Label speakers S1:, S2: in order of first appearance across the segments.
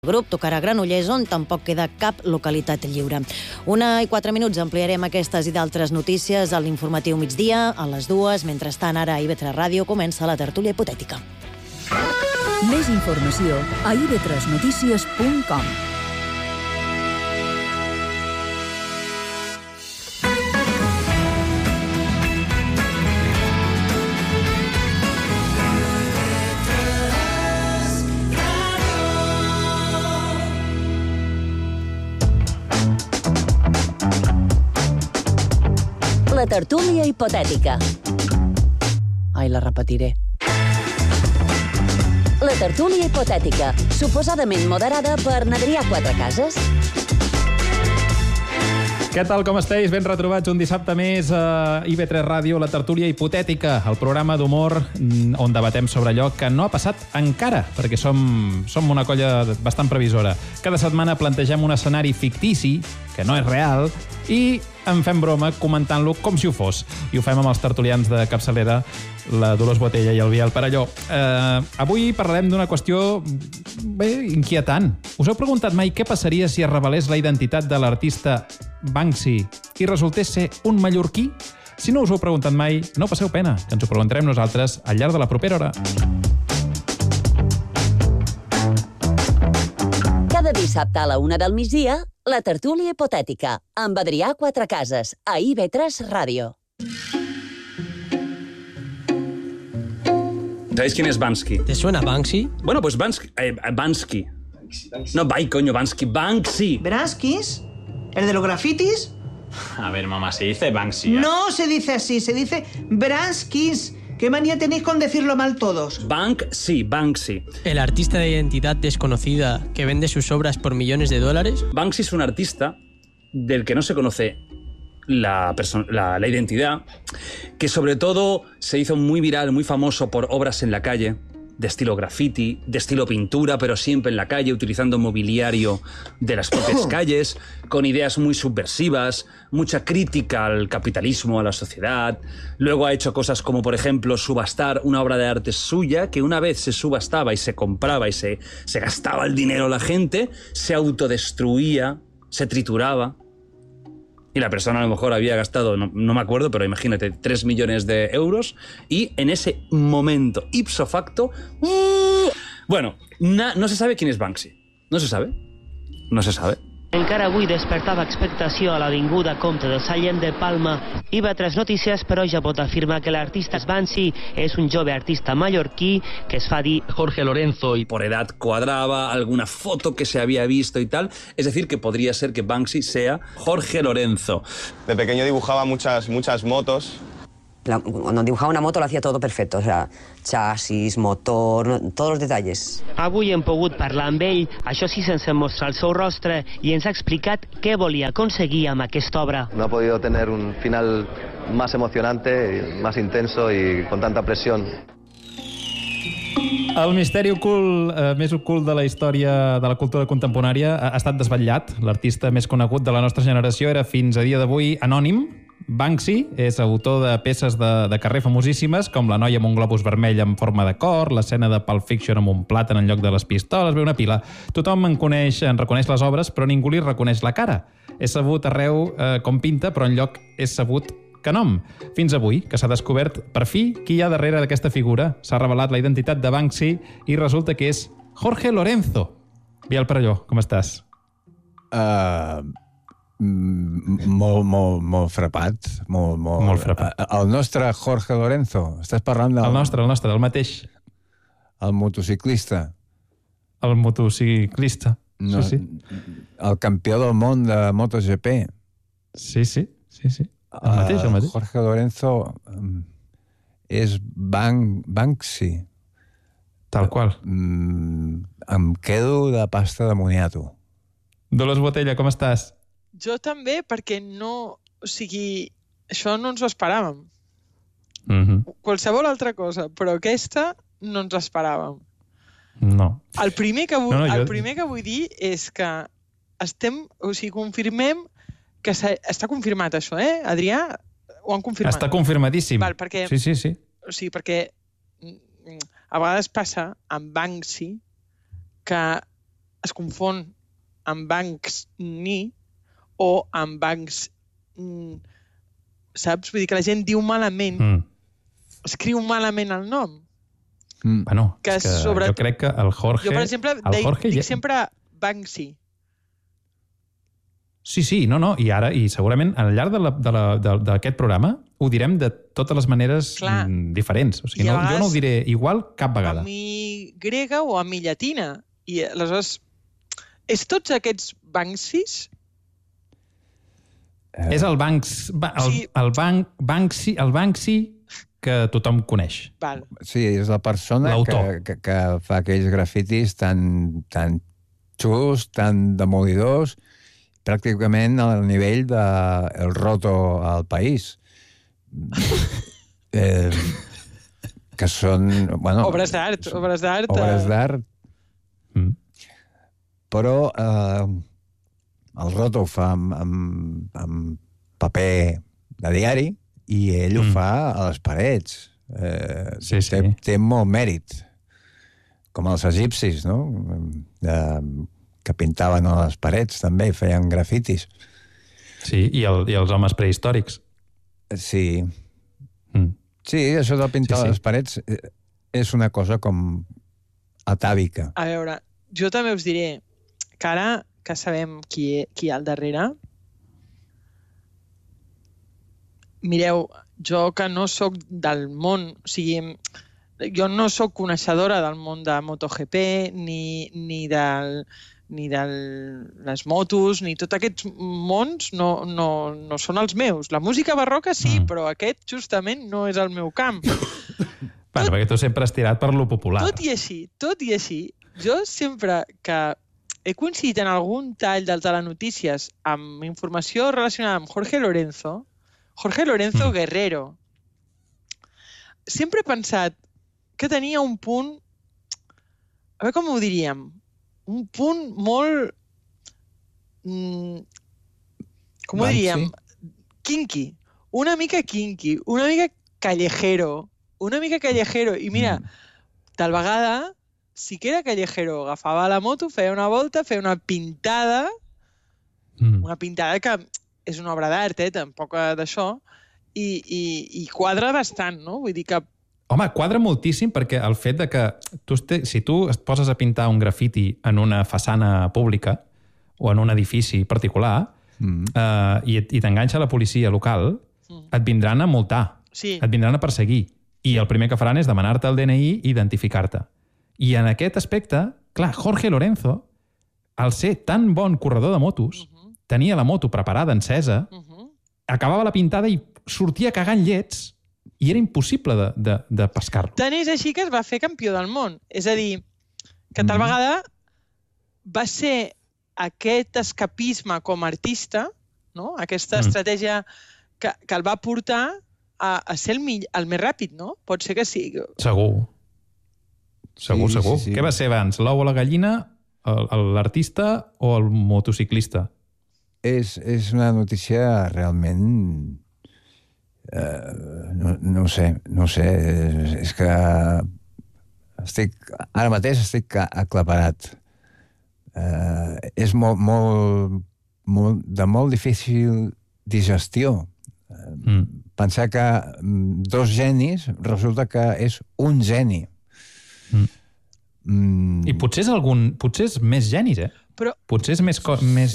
S1: El grup tocarà a Granollers, on tampoc queda cap localitat lliure. 1:04, ampliarem aquestes i d'altres notícies a l'informatiu migdia, a les 2. Mentrestant, ara a IB3 Ràdio comença la tertúlia hipotètica.
S2: Més informació a ib3notícies.com.
S3: La tertúlia hipotètica.
S1: Ai, la repetiré.
S3: La tertúlia hipotètica, suposadament moderada per Adrià Quatrecases.
S4: Què tal, com esteu? Ben retrobats un dissabte més a IB3 Ràdio, la tertúlia hipotètica, el programa d'humor on debatem sobre allò que no ha passat encara, perquè som una colla bastant previsora. Cada setmana plantegem un escenari fictici, que no és real, i en fem broma comentant-lo com si ho fos. I ho fem amb els tertulians de capçalera, la Dolors Botella i el Biel Perelló. Avui parlarem d'una qüestió inquietant. Us heu preguntat mai què passaria si es revelés la identitat de l'artista Banksy i resultés ser un mallorquí? Si no us ho heu preguntat mai, no passeu pena, que ens ho preguntarem nosaltres al llarg de la propera hora.
S3: Cada dissabte a la 1 del migdia, la tertúlia hipotètica, amb Adrià Quatrecases, a IB3 Ràdio.
S5: ¿Sabéis quién es Banksy?
S6: ¿Te suena Banksy?
S5: Bueno, pues Banksy. No, Banksy.
S7: ¿Branskis? ¿El de los grafitis?
S8: A ver, mamá, se dice Banksy.
S7: No se dice así, se dice Branskis. ¿Qué manía tenéis con decirlo mal todos?
S5: Banksy.
S6: ¿El artista de identidad desconocida que vende sus obras por millones de dólares?
S5: Banksy es un artista del que no se conoce la identidad, que sobre todo se hizo muy viral, muy famoso por obras en la calle, de estilo graffiti, de estilo pintura, pero siempre en la calle, utilizando mobiliario de las propias calles, con ideas muy subversivas, mucha crítica al capitalismo, a la sociedad. Luego ha hecho cosas como, por ejemplo, subastar una obra de arte suya, que una vez se subastaba y se compraba y se gastaba el dinero la gente, se autodestruía, se trituraba. Y la persona a lo mejor había gastado, no me acuerdo, pero imagínate, 3 millones de euros. Y en ese momento, ipso facto... Bueno, no se sabe quién es Banksy. No se sabe.
S9: Encara avui despertava expectació a l'Avinguda Comte de Sallent de Palma. IB3 Notícies, però, ja pot afirmar que l'artista Banksy és un jove artista mallorquí que es fa dir
S5: Jorge Lorenzo, y por edad cuadraba, alguna foto que se había visto y tal. Es decir, que podría ser que Banksy sea Jorge Lorenzo.
S10: De pequeño dibujaba muchas motos.
S11: Cuando dibujaba una moto lo hacía todo perfecto, o sea, chasis, motor, todos los detalles.
S9: Avui hem pogut parlar amb ell, això sí sense mostrar el seu rostre, i ens ha explicat què volia aconseguir amb aquesta obra.
S12: No ha podido tener un final más emocionante, más intenso y con tanta presión.
S4: El misteri ocult, més ocult de la història de la cultura contemporània ha estat desvetllat. L'artista més conegut de la nostra generació era fins a dia d'avui anònim. Banksy és autor de peces de carrer famosíssimes, com La noia amb un globus vermell en forma de cor, l'escena de Pulp Fiction amb un plàtan en lloc de les pistoles, ve una pila. Tothom en reconeix les obres, però ningú li reconeix la cara. És sabut arreu com pinta, però enlloc és sabut que nom. Fins avui, que s'ha descobert per fi qui hi ha darrere d'aquesta figura. S'ha revelat la identitat de Banksy i resulta que és Jorge Lorenzo. Biel Perelló, com estàs?
S13: Molt frapat. Molt frapat. El nostre Jorge Lorenzo. Estàs parlant del...
S4: El nostre, del mateix.
S13: El motociclista.
S4: El motociclista.
S13: No,
S4: sí.
S13: El campió del món de MotoGP.
S4: Sí. El mateix.
S13: Jorge Lorenzo és Banksy.
S4: Tal qual.
S13: Em quedo de pasta de moniato.
S4: Dolors Botella, com estàs?
S14: Jo també, perquè no... O sigui, això no ens ho esperàvem. Qualsevol altra cosa, però aquesta no ens esperàvem.
S4: No.
S14: El primer que vull dir és que confirmem que està confirmat això, Adrià? Ho han confirmat?
S4: Està confirmadíssim.
S14: Val, perquè,
S4: sí.
S14: O sigui, perquè a vegades passa amb Banksy que es confon amb Banksy o amb Banks... Saps? Vull dir que la gent diu malament, escriu malament el nom.
S4: Bueno, és que jo crec que el Jorge...
S14: Jo, per exemple, dic sempre Banksy.
S4: Sí, no, i segurament al llarg d'aquest programa ho direm de totes les maneres diferents. O sigui, jo no ho diré igual cap vegada.
S14: A mi grega o a mi llatina. I aleshores, és tots aquests Banksys?
S4: És el Banksy que tothom coneix.
S14: Val.
S13: Sí, és la persona que fa aquells grafitis tan xulos, tan demolidors, pràcticament al nivell del roto al país. Que són... Bueno,
S14: obres d'art.
S13: Obres d'art. Però el roto ho fa amb paper de diari i ell ho fa a les parets. Té molt mèrit. Com els egipcis, no? Que pintaven a les parets, també, i feien grafitis.
S4: Sí, i els homes prehistòrics.
S13: Sí. Sí, això de pintar a les parets és una cosa com atàvica.
S14: A veure, jo també us diré que ara que sabem qui hi ha al darrere, mireu, jo que no sóc del món, o sigui, jo no sóc coneixedora del món de MotoGP, ni de les motos, ni tots aquests mons no són els meus. La música barroca sí, però aquest justament no és el meu camp.
S4: Bueno, perquè tu sempre has tirat per lo popular.
S14: Tot i així, jo sempre que he coincidit en algun tall del Telenotícies amb informació relacionada amb Jorge Lorenzo Guerrero, sempre he pensat que tenia un punt, a veure com ho diríem, un punt molt, com ho diríem, kinky, una mica callejero, i mira, tal vegada sí que era callejero, agafava la moto, feia una volta, feia una pintada que és una obra d'art, tampoc d'això, i quadra bastant, no? Vull dir que...
S4: Home, quadra moltíssim perquè el fet de que si tu et poses a pintar un grafiti en una façana pública o en un edifici particular i t'enganxa la policia local, et vindran a multar, et vindran a perseguir. I el primer que faran és demanar-te el DNI i identificar-te. I en aquest aspecte, clar, Jorge Lorenzo, al ser tan bon corredor de motos, tenia la moto preparada, encesa, acabava la pintada i sortia cagant llets i era impossible de pescar-lo.
S14: Tant és així que es va fer campió del món. És a dir, que tal vegada va ser aquest escapisme com a artista, no? Aquesta estratègia que el va portar a ser el més ràpid, no? Pot ser que sí.
S4: Segur. Segur. Què va ser abans, l'ou o la gallina, l'artista o el motociclista?
S13: És una notícia realment... No sé. És que ara mateix estic aclaparat. És de molt difícil digestió. Pensar que dos genis resulta que és un geni.
S4: I potser és més genis,
S14: Però...
S4: Potser és més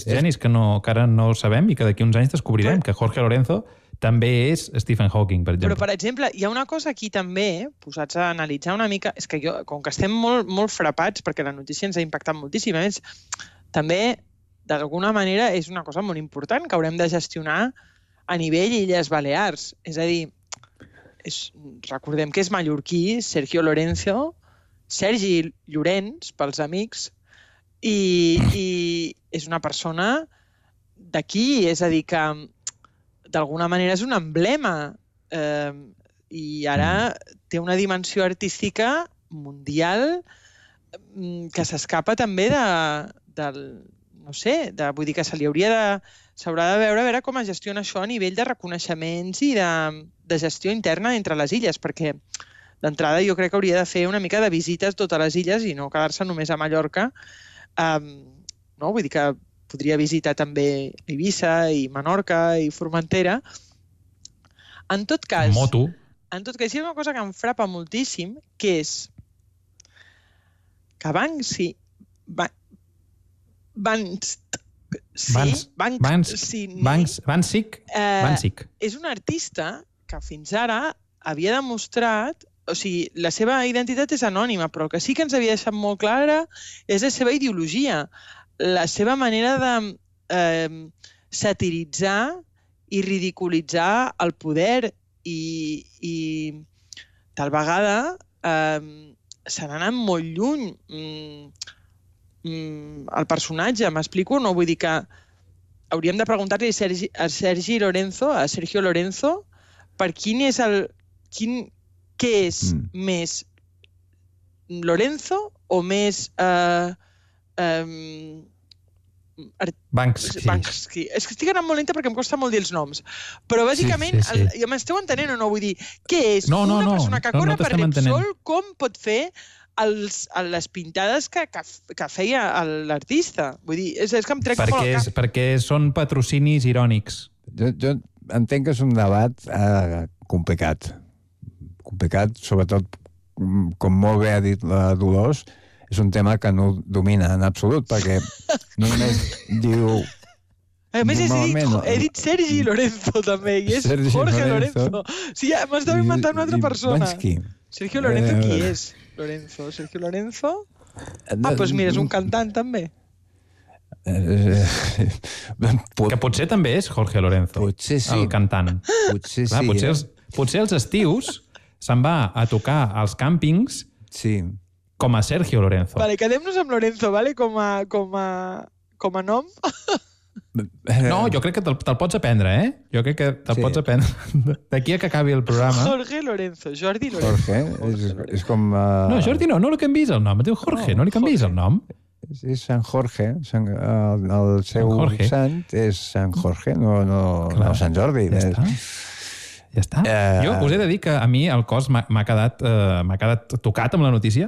S4: genis que ara no ho sabem i que d'aquí uns anys descobrirem que Jorge Lorenzo també és Stephen Hawking, per exemple.
S14: Però, per exemple, hi ha una cosa aquí també, posats a analitzar una mica, és que com que estem molt frapats, perquè la notícia ens ha impactat moltíssim, a més, també, d'alguna manera, és una cosa molt important que haurem de gestionar a nivell Illes Balears. És a dir, recordem que és mallorquí, Sergi Llorenç, pels amics, i és una persona d'aquí, és a dir, que d'alguna manera és un emblema i ara té una dimensió artística mundial que s'escapa també vull dir que s'haurà de veure com es gestiona això a nivell de reconeixements i de gestió interna entre les illes, perquè d'entrada jo crec que hauria de fer una mica de visites a totes les illes i no quedar-se només a Mallorca no? Vull dir que podria visitar també Eivissa i Menorca i Formentera. En tot cas...
S4: Moto.
S14: En tot cas, hi ha una cosa que em frapa moltíssim, que és que Banksy...
S4: Banksy.
S14: És un artista que fins ara havia demostrat... O sigui, la seva identitat és anònima, però el que sí que ens havia deixat molt clara és la seva ideologia, la seva manera de satiritzar i ridiculitzar el poder i tal vegada se n'ha anat molt lluny el personatge, m'explico? No vull dir que hauríem de preguntar-li a Sergio Lorenzo, per quin és el... Què és més Lorenzo o més
S4: Banksy.
S14: És que estic anant molt lenta perquè em costa molt dir els noms. Però bàsicament, m'esteu entenent o no? Vull dir, què és? Una persona que corre per Repsol, com pot fer les pintades que feia l'artista? Vull dir, és que em trec molt al cap.
S4: Perquè són patrocinis irònics.
S13: Jo entenc que és un debat complicat, sobretot, com molt bé ha dit la Dolors, és un tema que no domina en absolut, perquè només diu...
S14: A més, he dit Sergi Lorenzo, també, i és Jorge Lorenzo. Sí, m'estava inventant una altra persona. Sergio Lorenzo, qui és? Sergio Lorenzo? Doncs mira, és un cantant, també.
S4: Que potser també és Jorge Lorenzo, el cantant. Potser els estius se'n va a tocar als càmpings com a Sergio Lorenzo.
S14: Vale, quedem-nos amb Lorenzo, vale? Com a nom.
S4: No, jo crec que te'l pots aprendre, eh? Jo crec que te'l pots aprendre. D'aquí a que acabi el programa.
S14: Jorge Lorenzo, Jordi Lorenzo.
S13: Jorge, és com...
S4: No, Jordi no li canviïs el nom. Et diu Jorge, no li canviïs el nom.
S13: És Sant Jorge. El seu sant és Sant Jorge, no Sant Jordi.
S4: Ja està. Jo us he de dir que a mi el cos m'ha quedat tocat amb la notícia,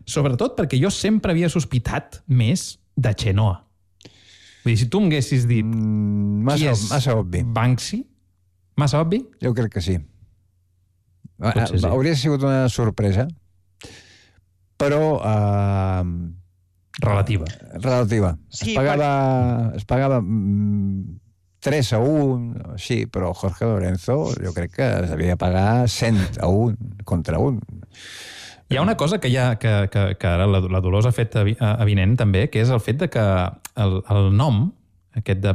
S4: sobretot perquè jo sempre havia sospitat més de Chenoa. Vull dir, si tu m'haguessis dit
S13: massa obvi.
S4: Banksy, massa obvi?
S13: Jo crec que sí. Hauria sigut una sorpresa, però... Relativa. Es pagava 3-1, sí, però Jorge Lorenzo jo crec que s'havia de pagar 100-1 contra 1.
S4: Hi ha una cosa que ara la Dolors ha fet avinent també, que és el fet de que el nom, aquest de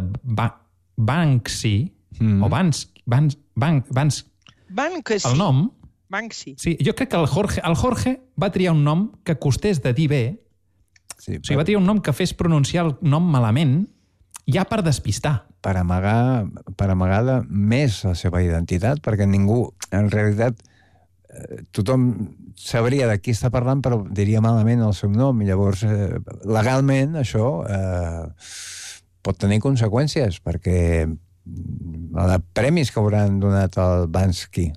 S4: Banksy, o Banksy, el nom...
S14: Banksy.
S4: Sí, jo crec que el Jorge va triar un nom que costés de dir bé, o sigui, va triar un nom que fes pronunciar el nom malament, ja per despistar.
S13: Per amagar més la seva identitat, perquè ningú, en realitat, tothom sabria de qui està parlant, però diria malament el seu nom, i llavors, legalment, això pot tenir conseqüències, perquè de premis que hauran donat al Banksy,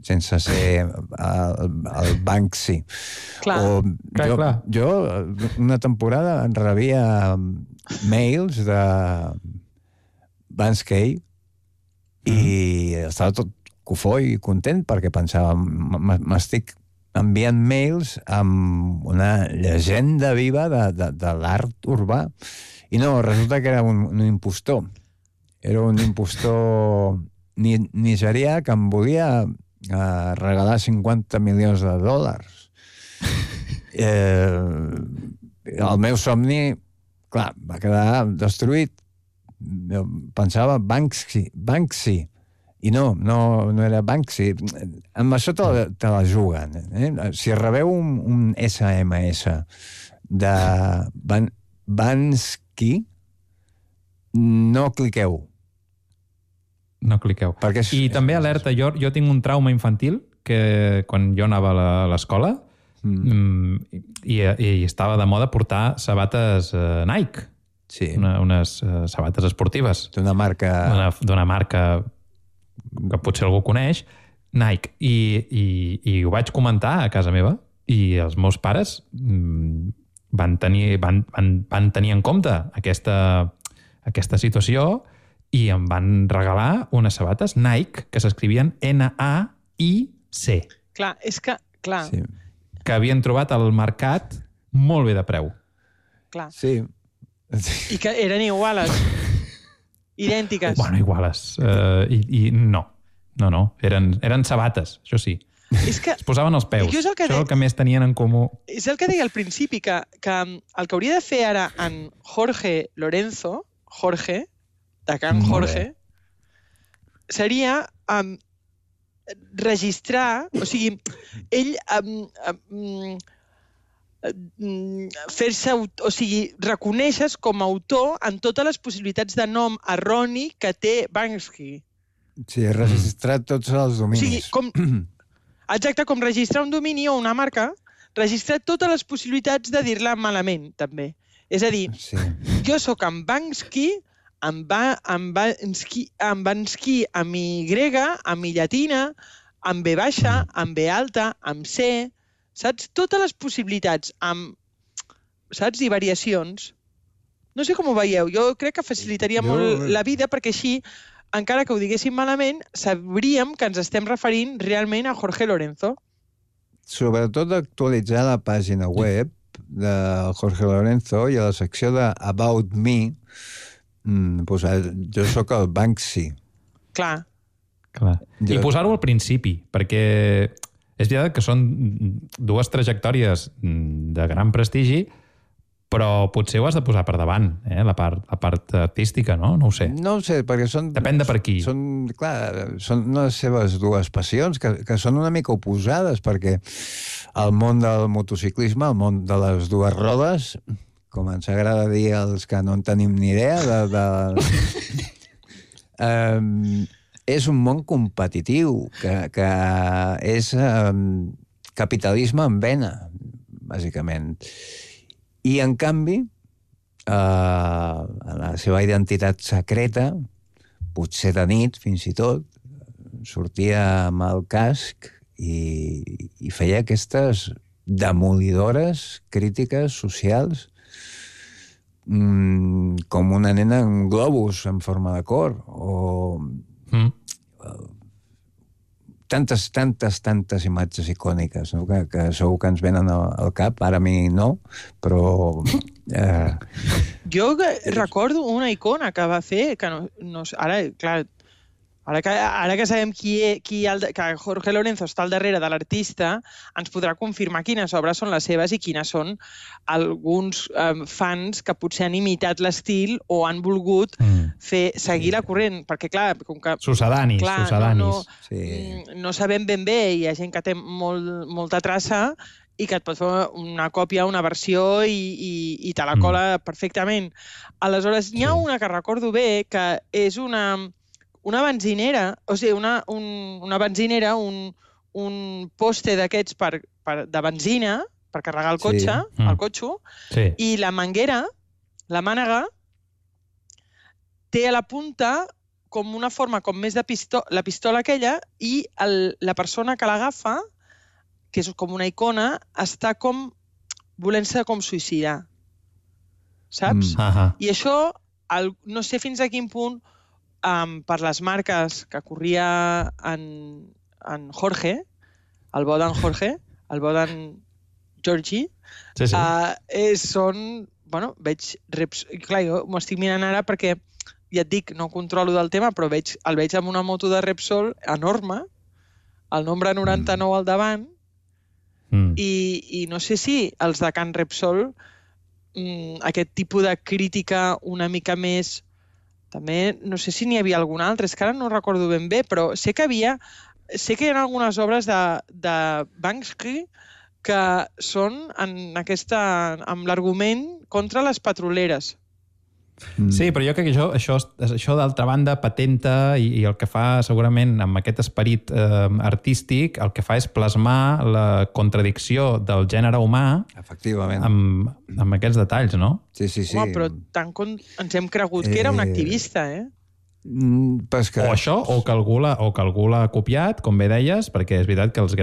S13: sense ser el Banksy. Jo, una temporada, en rebia mails de Banksy i estava tot cofoi i content perquè pensava, m'estic enviant mails amb una llegenda viva de l'art urbà. I no, resulta que era un impostor. Era un impostor nigerià que em volia regalar $50 milions. El meu somni, clar, va quedar destruït. Jo pensava Banksy, i no era Banksy. Amb això te la juguen. Si rebeu un SMS de Banksy, no cliqueu.
S4: No cliqueu. I també alerta, jo tinc un trauma infantil que quan jo anava a l'escola i estava de moda portar sabates Nike.
S13: Sí.
S4: Unes sabates esportives.
S13: D'una marca
S4: que potser algú coneix, Nike. I ho vaig comentar a casa meva i els meus pares van tenir en compte aquesta situació i em van regalar unes sabates Nike que s'escrivien N-A-I-C.
S14: Clar, és que... Clar.
S13: Sí.
S4: Que havien trobat al mercat molt bé de preu.
S14: Clar.
S13: Sí.
S14: I que eren iguales. Idèntiques.
S4: Bueno, iguales. I no. No. Eren sabates, això sí.
S14: És que...
S4: Es posaven els peus. Això és el que més tenien en comú.
S14: És el que deia al principi, que el que hauria de fer ara en Jorge Lorenzo, Jorge, de Can Jorge, seria registrar, o sigui, ell fer-se, o sigui, reconèixer com a autor en totes les possibilitats de nom erroni que té Banksy.
S13: Sí, registrar tots els dominis.
S14: O sigui, exacte, com registrar un domini o una marca, registrar totes les possibilitats de dir-la malament, també. És a dir, jo sóc en Banksy, en Banksy amb Y, amb I llatina, amb B baixa, amb B alta, amb C, saps? Totes les possibilitats, saps? I variacions. No sé com ho veieu, jo crec que facilitaria molt la vida perquè així, encara que ho diguéssim malament, sabríem que ens estem referint realment a Jorge Lorenzo.
S13: Sobretot actualitzar la pàgina web de Jorge Lorenzo i a la secció de About Me, jo sóc el Banksy.
S14: Clar.
S4: I posar-ho al principi, perquè és veritat que són dues trajectòries de gran prestigi, però potser ho has de posar per davant, la part artística, no? No ho sé.
S13: No ho sé, perquè són...
S4: Depèn de per qui.
S13: Són les seves dues passions, que són una mica oposades, perquè el món del motociclisme, el món de les dues rodes, com ens agrada dir els que no en tenim ni idea, és un món competitiu, que és capitalisme en vena, bàsicament. I, en canvi, la seva identitat secreta, potser de nit, fins i tot, sortia amb el casc i feia aquestes demolidores crítiques socials com una nena en globus en forma de cor o tantes imatges icòniques, no? que segur que ens venen al cap, ara a mi no, però...
S14: Jo recordo una icona que va fer, que no ara, clar, ara que sabem que Jorge Lorenzo està al darrere de l'artista, ens podrà confirmar quines obres són les seves i quines són alguns fans que potser han imitat l'estil o han volgut seguir la corrent, perquè clar...
S4: Sucedanis.
S14: No sabem ben bé, hi ha gent que té molta traça i que et pot fer una còpia, una versió i te la cola perfectament. Aleshores, n'hi ha una que recordo bé, que és una benzinera, o sigui, una benzinera, un poste d'aquests de benzina per carregar el cotxe, el cotxo, i la manguera, la mànega, té a la punta com una forma com més de pistola, la pistola aquella, i la persona que l'agafa, que és com una icona, està com volent-se com suïcidar. Saps? I això, no sé fins a quin punt, per les marques que corria en Jorge, el bo d'en Jorge, el bo d'en Georgie, són, bueno, veig reps... Clar, jo m'ho estic mirant ara perquè, ja et dic, no controlo del tema, però el veig amb una moto de Repsol enorme, el nombre 99 al davant, i no sé si els de Can Repsol, aquest tipus de crítica una mica més... També, no sé si n'hi havia algun altre, és que ara no recordo ben bé, però sé que hi ha algunes obres de Banksy que són amb l'argument contra les petroleres.
S4: Sí, però jo crec que això d'altra banda patenta i el que fa segurament amb aquest esperit artístic, el que fa és plasmar la contradicció del gènere humà amb aquests detalls, no?
S13: Sí.
S14: Home, però tant com ens hem cregut que era un activista,
S4: O això, o que algú l'ha copiat, com bé deies, perquè és veritat que les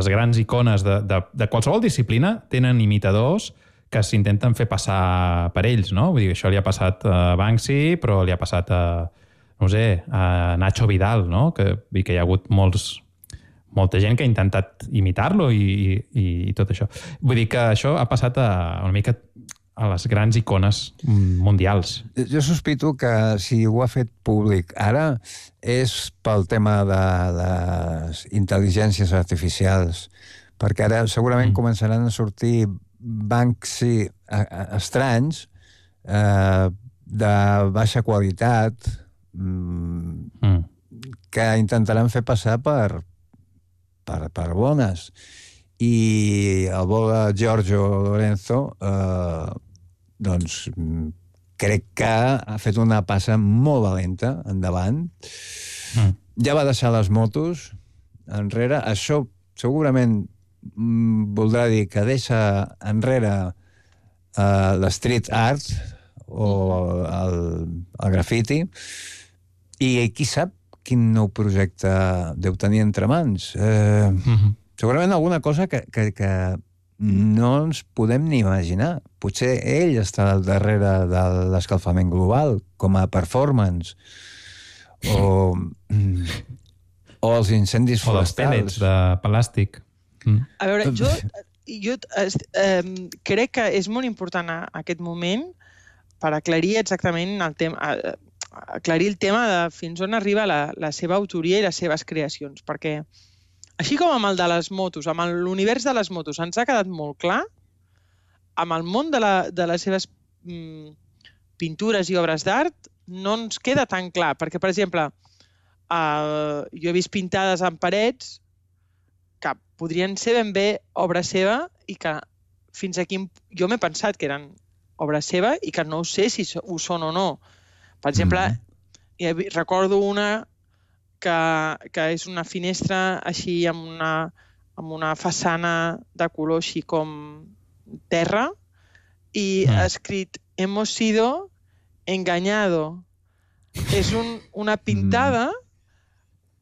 S4: grans icones de qualsevol disciplina tenen imitadors que s'intenten fer passar per ells, no? Vull dir, això li ha passat a Banksy, però li ha passat a, no sé, a Nacho Vidal, no? Que hi ha hagut molta gent que ha intentat imitar-lo i tot això. Vull dir que això ha passat una mica a les grans icones mundials.
S13: Jo sospito que si ho ha fet públic ara és pel tema de les intel·ligències artificials, perquè ara segurament començaran a sortir Banksy estranys de baixa qualitat que intentaran fer passar per bones. I el bo de Giorgio Lorenzo doncs crec que ha fet una passa molt valenta endavant. Ja va deixar les motos enrere. Això segurament voldrà dir que deixa enrere l'street art o el graffiti i qui sap quin nou projecte deu tenir entre mans. Segurament alguna cosa que no ens podem ni imaginar. Potser ell està al darrere de l'escalfament global, com a performance, o els incendis forestals.
S4: O els pellets de plàstic.
S14: A veure, jo crec que és molt important aquest moment per aclarir exactament el tema, aclarir el tema de fins on arriba la seva autoria i les seves creacions, perquè així com amb el de les motos, amb l'univers de les motos, ens ha quedat molt clar, amb el món de les seves pintures i obres d'art no ens queda tan clar, perquè, per exemple, jo he vist pintades en parets que podrien ser ben bé obra seva i que fins aquí jo m'he pensat que eren obra seva i que no sé si ho són o no. Per exemple, recordo una que és una finestra així amb una façana de color així com terra i ha escrit «Hemos sido engañado». És una pintada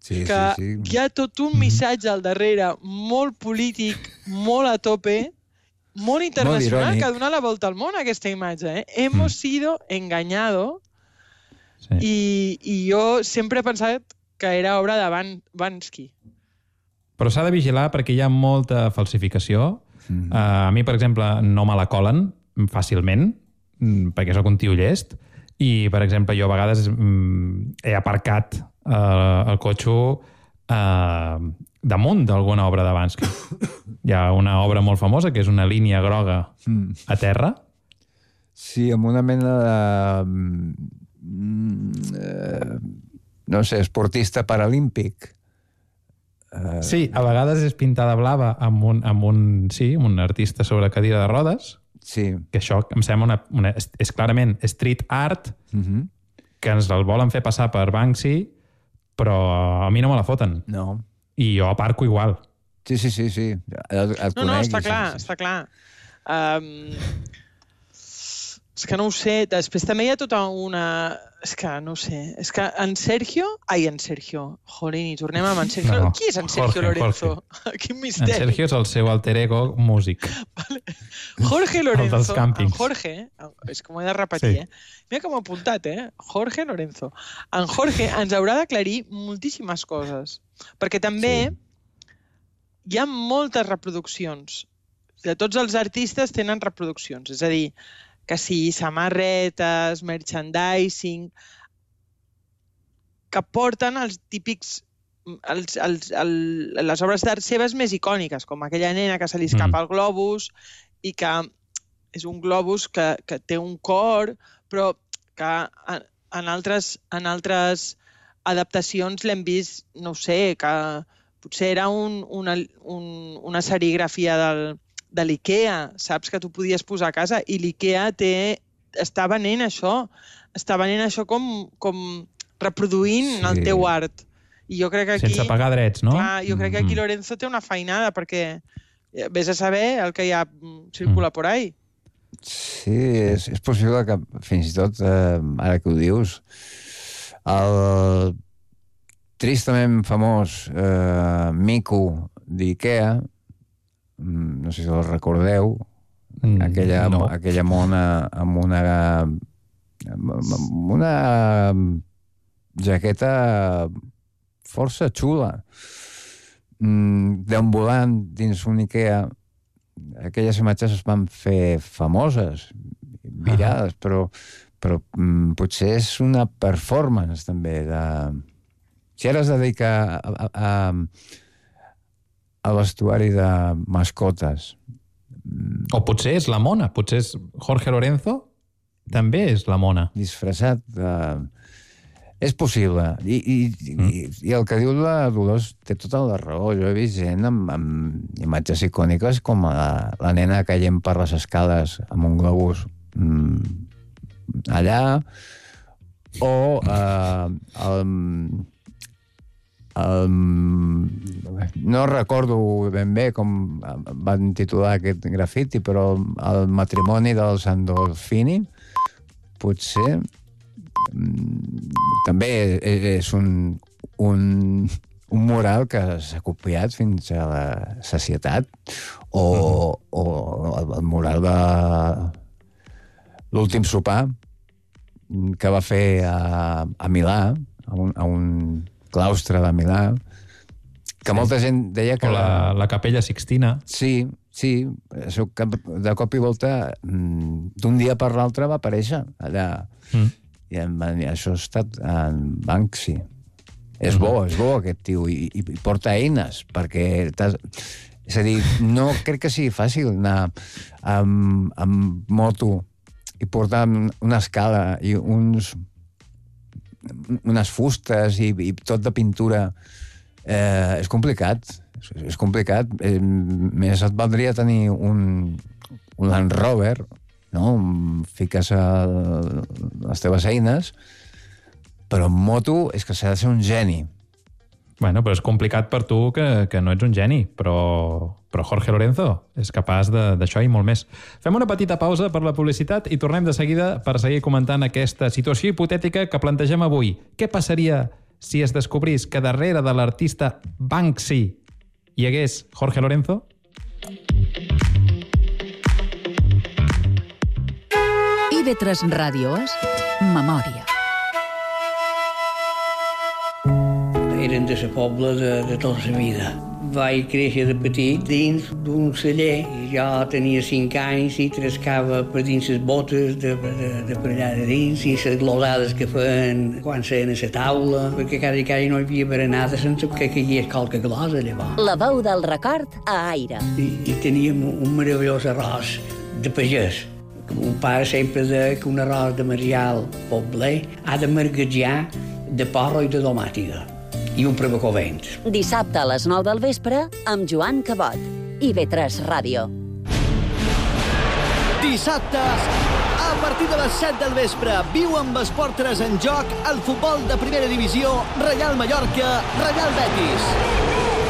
S14: que hi ha tot un missatge al darrere molt polític, molt a tope, molt internacional, que ha donat la volta al món aquesta imatge. «Hemos sido engañado». I jo sempre he pensat que era obra de Banksy.
S4: Però s'ha de vigilar perquè hi ha molta falsificació. A mi, per exemple, no me la colen fàcilment, perquè sóc un tio llest, i, per exemple, jo a vegades he aparcat el cotxe damunt d'alguna obra de Banksy. Hi ha una obra molt famosa, que és una línia groga a terra.
S13: Sí, amb una mena de... no sé, esportista paralímpic.
S4: Sí, a vegades és pintada blava amb un artista sobre cadira de rodes, que això em sembla és clarament street art, que ens el volen fer passar per Banksy, però a mi no me la foten.
S13: No.
S4: I jo aparco igual.
S13: Sí.
S14: No, està clar. És que no ho sé. Després també hi ha tota una... És que no ho sé. És que en Sergio... Jolín, i tornem amb en Sergio. No, qui és en Sergio Lorenzo? Quin misteri.
S4: En Sergio és el seu alter ego músic.
S14: Jorge Lorenzo.
S4: El dels càmpings.
S14: En Jorge, és que m'ho he de repetir, Mira com ho he apuntat, Jorge Lorenzo. En Jorge ens haurà d'aclarir moltíssimes coses. Perquè també hi ha moltes reproduccions. De tots els artistes tenen reproduccions. És a dir, que sí, samarretes, merchandising, que porten els típics, les obres d'art seves més icòniques, com aquella nena que se li escapa el globus i que és un globus que té un cor, però que en altres adaptacions l'hem vist, no ho sé, que potser era una serigrafia de l'IKEA, saps, que tu podies posar a casa, i l'IKEA està venent això com reproduint el teu art. I jo crec que aquí...
S4: Sense pagar drets, no?
S14: Clar, jo crec que aquí Lorenzo té una feinada, perquè vés a saber el que ja circula por ahí.
S13: Sí, és possible que fins i tot, ara que ho dius, el tristament famós Mico d'IKEA, no sé si el recordeu, aquella mona amb una jaqueta força xula, deambulant dins un Ikea. Aquelles imatges es van fer famoses, virals, però potser és una performance també. Si ara es dedica a vestuari de mascotes.
S4: O potser és la mona, potser és Jorge Lorenzo, també és la mona.
S13: Disfressat és possible. I el que diu la Dolors té tota la raó. Jo he vist gent amb imatges icòniques com la nena caient per les escales amb un globus allà, o no recordo ben bé com van titular aquest grafiti, però el matrimoni del Sandolfini potser també és un mural que s'ha copiat fins a la sacietat, o el mural de l'últim sopar que va fer a Milà, a un claustre de Milà, que molta gent deia que...
S4: O la Capella Sixtina.
S13: Sí, això que de cop i volta d'un dia per l'altre va aparèixer allà. I això ha estat en Banksy. És bo aquest tio, i porta eines, perquè... És a dir, no crec que sigui fàcil anar amb moto i portar una escala i unes fustes i tot de pintura. És complicat. És complicat. Més et valdria tenir un Land Rover, no? Fiques les teves eines, però en moto és que s'ha de ser un geni.
S4: Bueno, però és complicat per tu que no ets un geni, però Jorge Lorenzo és capaç d'això i molt més. Fem una petita pausa per la publicitat i tornem de seguida per seguir comentant aquesta situació hipotètica que plantegem avui. Què passaria si es descobrís que darrere de l'artista Banksy hi hagués Jorge Lorenzo?
S2: IB3 Ràdio és Memòria.
S15: Eren de la pobla de tota la vida. Vaig créixer de petit dins d'un celler. Jo tenia 5 anys i trescava per dins les botes de per allà de dins i les glosades que feien quan seien a la taula, perquè cada dia no hi havia berenada sense que caigués qualque glosa, llavors.
S3: La veu del record a Aire.
S15: I teníem un meravellós arròs de pagès. Un pare sempre deia que un arròs de Marial Pobler ha de marguejar de porro i de domàtiga. I un prebacovent.
S3: Dissabte a les 9 del vespre amb Joan Cabot. IB3 Ràdio.
S16: Dissabte, a partir de les 7 del vespre, viu amb Esport 3 en joc el futbol de primera divisió Reial Mallorca, Reial Betis.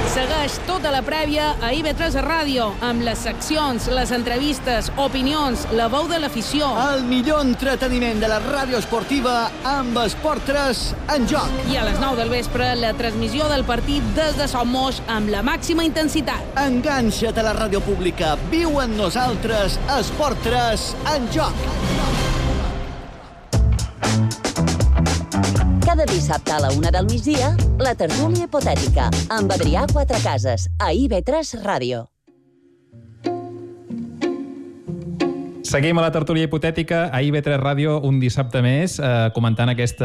S17: Segueix tota la prèvia a IB3 Ràdio, amb les seccions, les entrevistes, opinions, la veu de l'afició.
S16: El millor entreteniment de la ràdio esportiva amb Esport 3 en joc.
S17: I a les 9 del vespre, la transmissió del partit des de Son Moix amb la màxima intensitat.
S16: Enganxa't a la ràdio pública. Viu amb nosaltres Esport 3 en joc.
S3: Cada dissabte a la 1 del migdia, la tertúlia hipotètica, amb Adrià Quatrecases, a IB3 Ràdio.
S4: Seguim a la tertúlia hipotètica a IB3 Ràdio un dissabte més, comentant aquest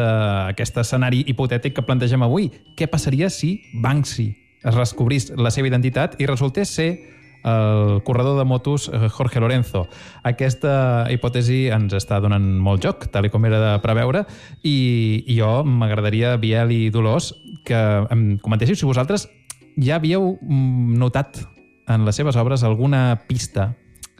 S4: escenari hipotètic que plantegem avui. Què passaria si Banksy es descobrís la seva identitat i resultés ser el corredor de motos Jorge Lorenzo? Aquesta hipòtesi ens està donant molt joc, tal com era de preveure, i jo m'agradaria, Biel i Dolors, que em comentéssiu si vosaltres ja havíeu notat en les seves obres alguna pista,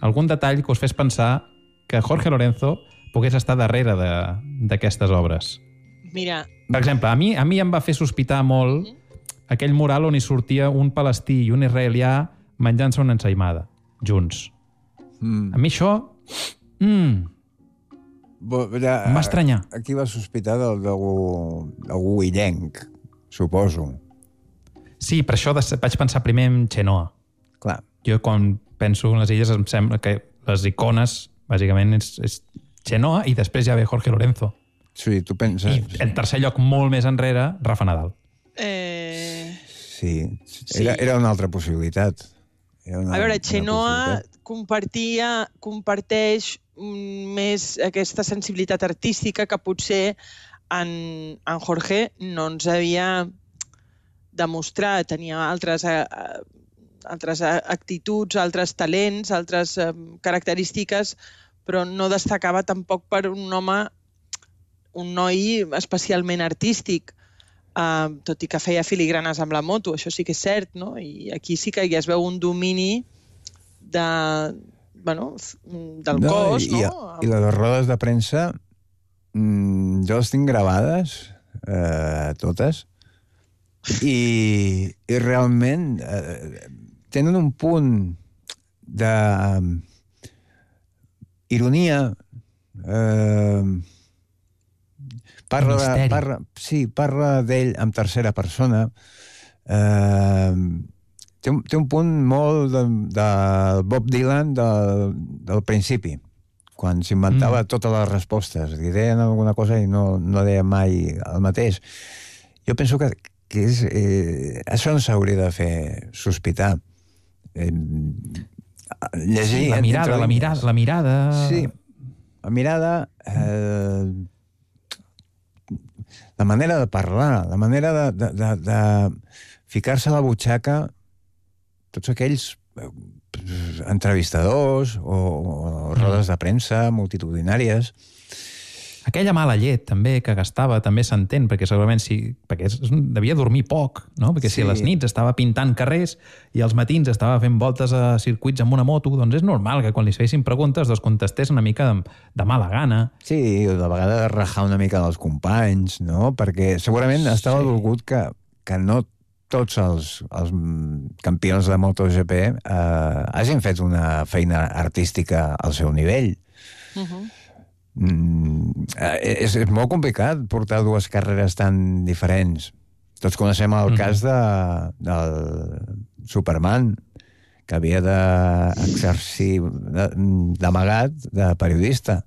S4: algun detall que us fes pensar que Jorge Lorenzo pogués estar darrere d'aquestes obres.
S14: Mira...
S4: Per exemple, a mi em va fer sospitar molt aquell mural on hi sortia un palestí i un israelià menjant-se una ensaïmada, junts. A mi això... M'va estranyar.
S13: Aquí va sospitar d'algú illenc, suposo.
S4: Sí, per això vaig pensar primer en Xenoa.
S13: Clar.
S4: Jo, quan penso en les illes, em sembla que les icones, bàsicament, és Chenoa i després ja ve Jorge Lorenzo.
S13: Sí, tu penses...
S4: I en tercer lloc, molt més enrere, Rafa Nadal.
S13: Sí, era una altra possibilitat.
S14: A veure, Chenoa comparteix més aquesta sensibilitat artística que potser en Jorge no ens havia demostrat. Tenia altres actituds, altres talents, altres característiques, però no destacava tampoc per un noi especialment artístic, tot i que feia filigranes amb la moto, això sí que és cert, no? I aquí sí que ja es veu un domini del cos, no?
S13: I les rodes de premsa, jo les tinc gravades, totes, i realment tenen un punt d'ironia, parla d'ell en tercera persona, té un punt molt del Bob Dylan del principi, quan s'inventava totes les respostes, i deien alguna cosa i no deia mai el mateix. Jo penso que això no s'hauria de fer sospitar. Llegir...
S4: La mirada...
S13: Sí, la mirada... La manera de parlar, la manera de ficar-se a la butxaca tots aquells entrevistadors o rodes de premsa multitudinàries.
S4: Aquella mala llet, també, que gastava, també s'entén, perquè segurament perquè devia dormir poc, no? Perquè si a les nits estava pintant carrers i als matins estava fent voltes a circuits amb una moto, doncs és normal que quan li fessin preguntes contestés una mica de mala gana.
S13: Sí, de vegades rajar una mica dels companys, no? Perquè segurament estava dolgut que no tots els campions de MotoGP hagin fet una feina artística al seu nivell. És molt complicat portar dues carreres tan diferents. Tots coneixem el cas del Superman, que havia d'exercir d'amagat de periodista,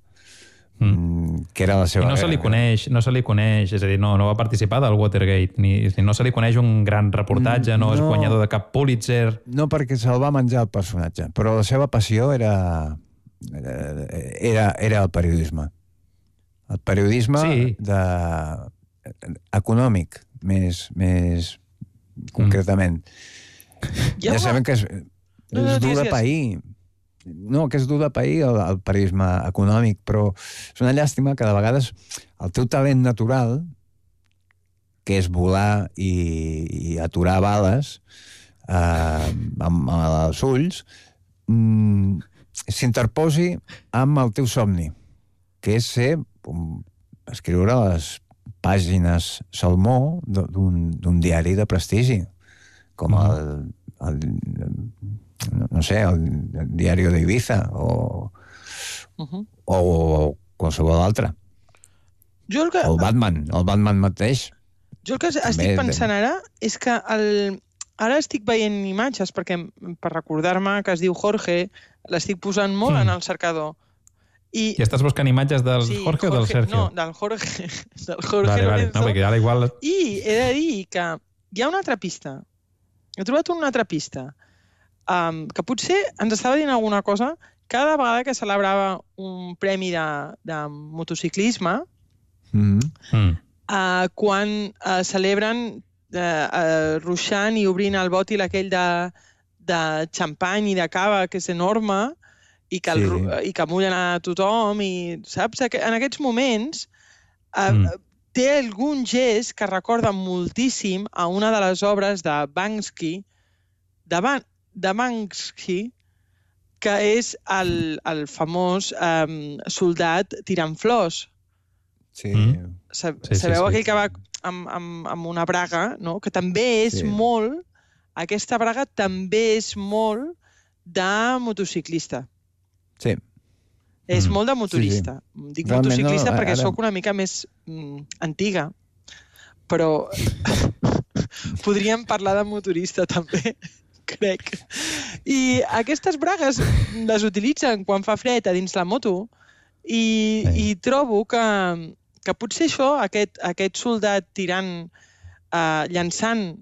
S13: que era la seva...
S4: I no se li coneix, és a dir, no va participar del Watergate, no se li coneix un gran reportatge, no és guanyador de cap Pulitzer...
S13: No, perquè se'l va menjar el personatge, però la seva passió era el periodisme. El periodisme econòmic, més concretament. Ja sabem que és dur de pair. No, que és dur de pair el periodisme econòmic, però és una llàstima que de vegades el teu talent natural, que és volar i aturar bales amb els ulls, s'interposi amb el teu somni, que és escriure les pàgines salmó d'un diari de prestigi, com el diari d'Ibiza o qualsevol altre. El Batman mateix.
S14: Jo el que estic pensant ara és que ara estic veient imatges, perquè per recordar-me que es diu Jorge, l'estic posant molt en el cercador.
S4: I estàs buscant imatges del Jorge o del Sergio?
S14: No, del Jorge. Del Jorge Lorenzo.
S4: No, perquè ara igual...
S14: I he de dir que hi ha una altra pista. He trobat una altra pista que potser ens estava dient alguna cosa cada vegada que celebrava un premi de motociclisme, quan celebren ruixant i obrint el bòtil aquell de xampany i de cava, que és enorme, i que mullen a tothom, i saps? En aquests moments té algun gest que recorda moltíssim a una de les obres de Banksy, que és el famós soldat tirant flors.
S13: Sí.
S14: Sabeu aquell que va amb una braga, no? Que també és molt... Aquesta braga també és molt de motociclista.
S13: Sí.
S14: És molt de motorista. Dic motociclista perquè sóc una mica més antiga. Però podríem parlar de motorista també. crec. I aquestes bragues les utilitzen quan fa fred a dins la moto i trobo que potser això, aquest soldat tirant, llançant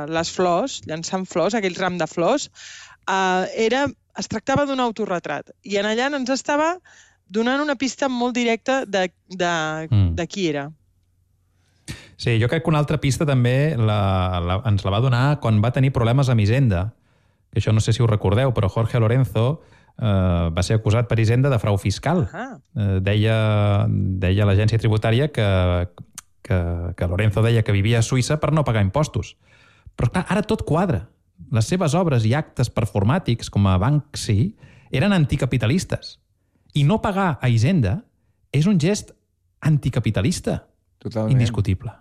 S14: les flors, llançant flors, aquell ram de flors, es tractava d'un autorretrat. I en allà ens estava donant una pista molt directa de qui era.
S4: Sí, jo crec que una altra pista també ens la va donar quan va tenir problemes amb Hisenda. Això no sé si ho recordeu, però Jorge Lorenzo va ser acusat per Hisenda de frau fiscal. Deia l'agència tributària que Lorenzo deia que vivia a Suïssa per no pagar impostos. Però clar, ara tot quadra. Les seves obres i actes performàtics, com a Banksy, eren anticapitalistes. I no pagar a Hisenda és un gest anticapitalista.
S13: Totalment.
S4: Indiscutible.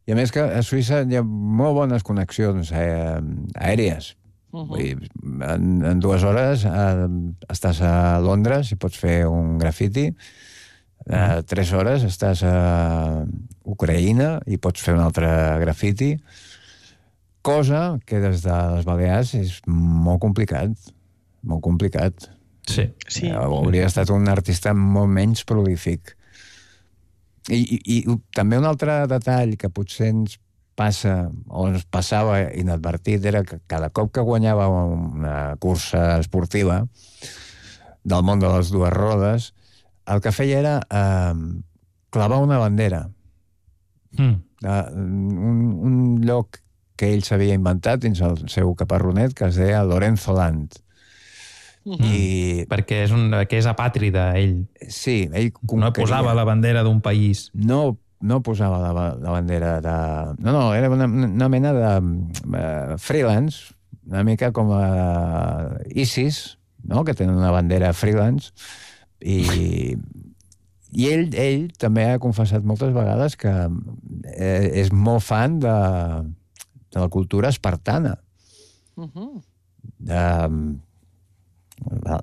S13: I a més que a Suïssa hi ha molt bones connexions aèries. Vull dir, en 2 hores estàs a Londres i pots fer un grafiti. 3 hores estàs a Ucraïna i pots fer un altre grafiti. Cosa que des de les Balears és molt complicat. Molt complicat.
S4: Sí.
S13: Hauria estat un artista molt menys prolífic. I també un altre detall que potser ens passa, o ens passava inadvertit, era que cada cop que guanyava una cursa esportiva del món de les 2 rodes, el que feia era clavar una bandera. Un lloc que ell s'havia inventat dins el seu caparronet, que es deia Lorenzo Land.
S4: Perquè és apàtrida, ell.
S13: Sí, ell
S4: no posava la bandera d'un país.
S13: No posava la bandera de... No, era una mena de freelance, una mica com a ISIS, no? Que tenen una bandera freelance, i ell també ha confessat moltes vegades que és molt fan de la cultura espartana.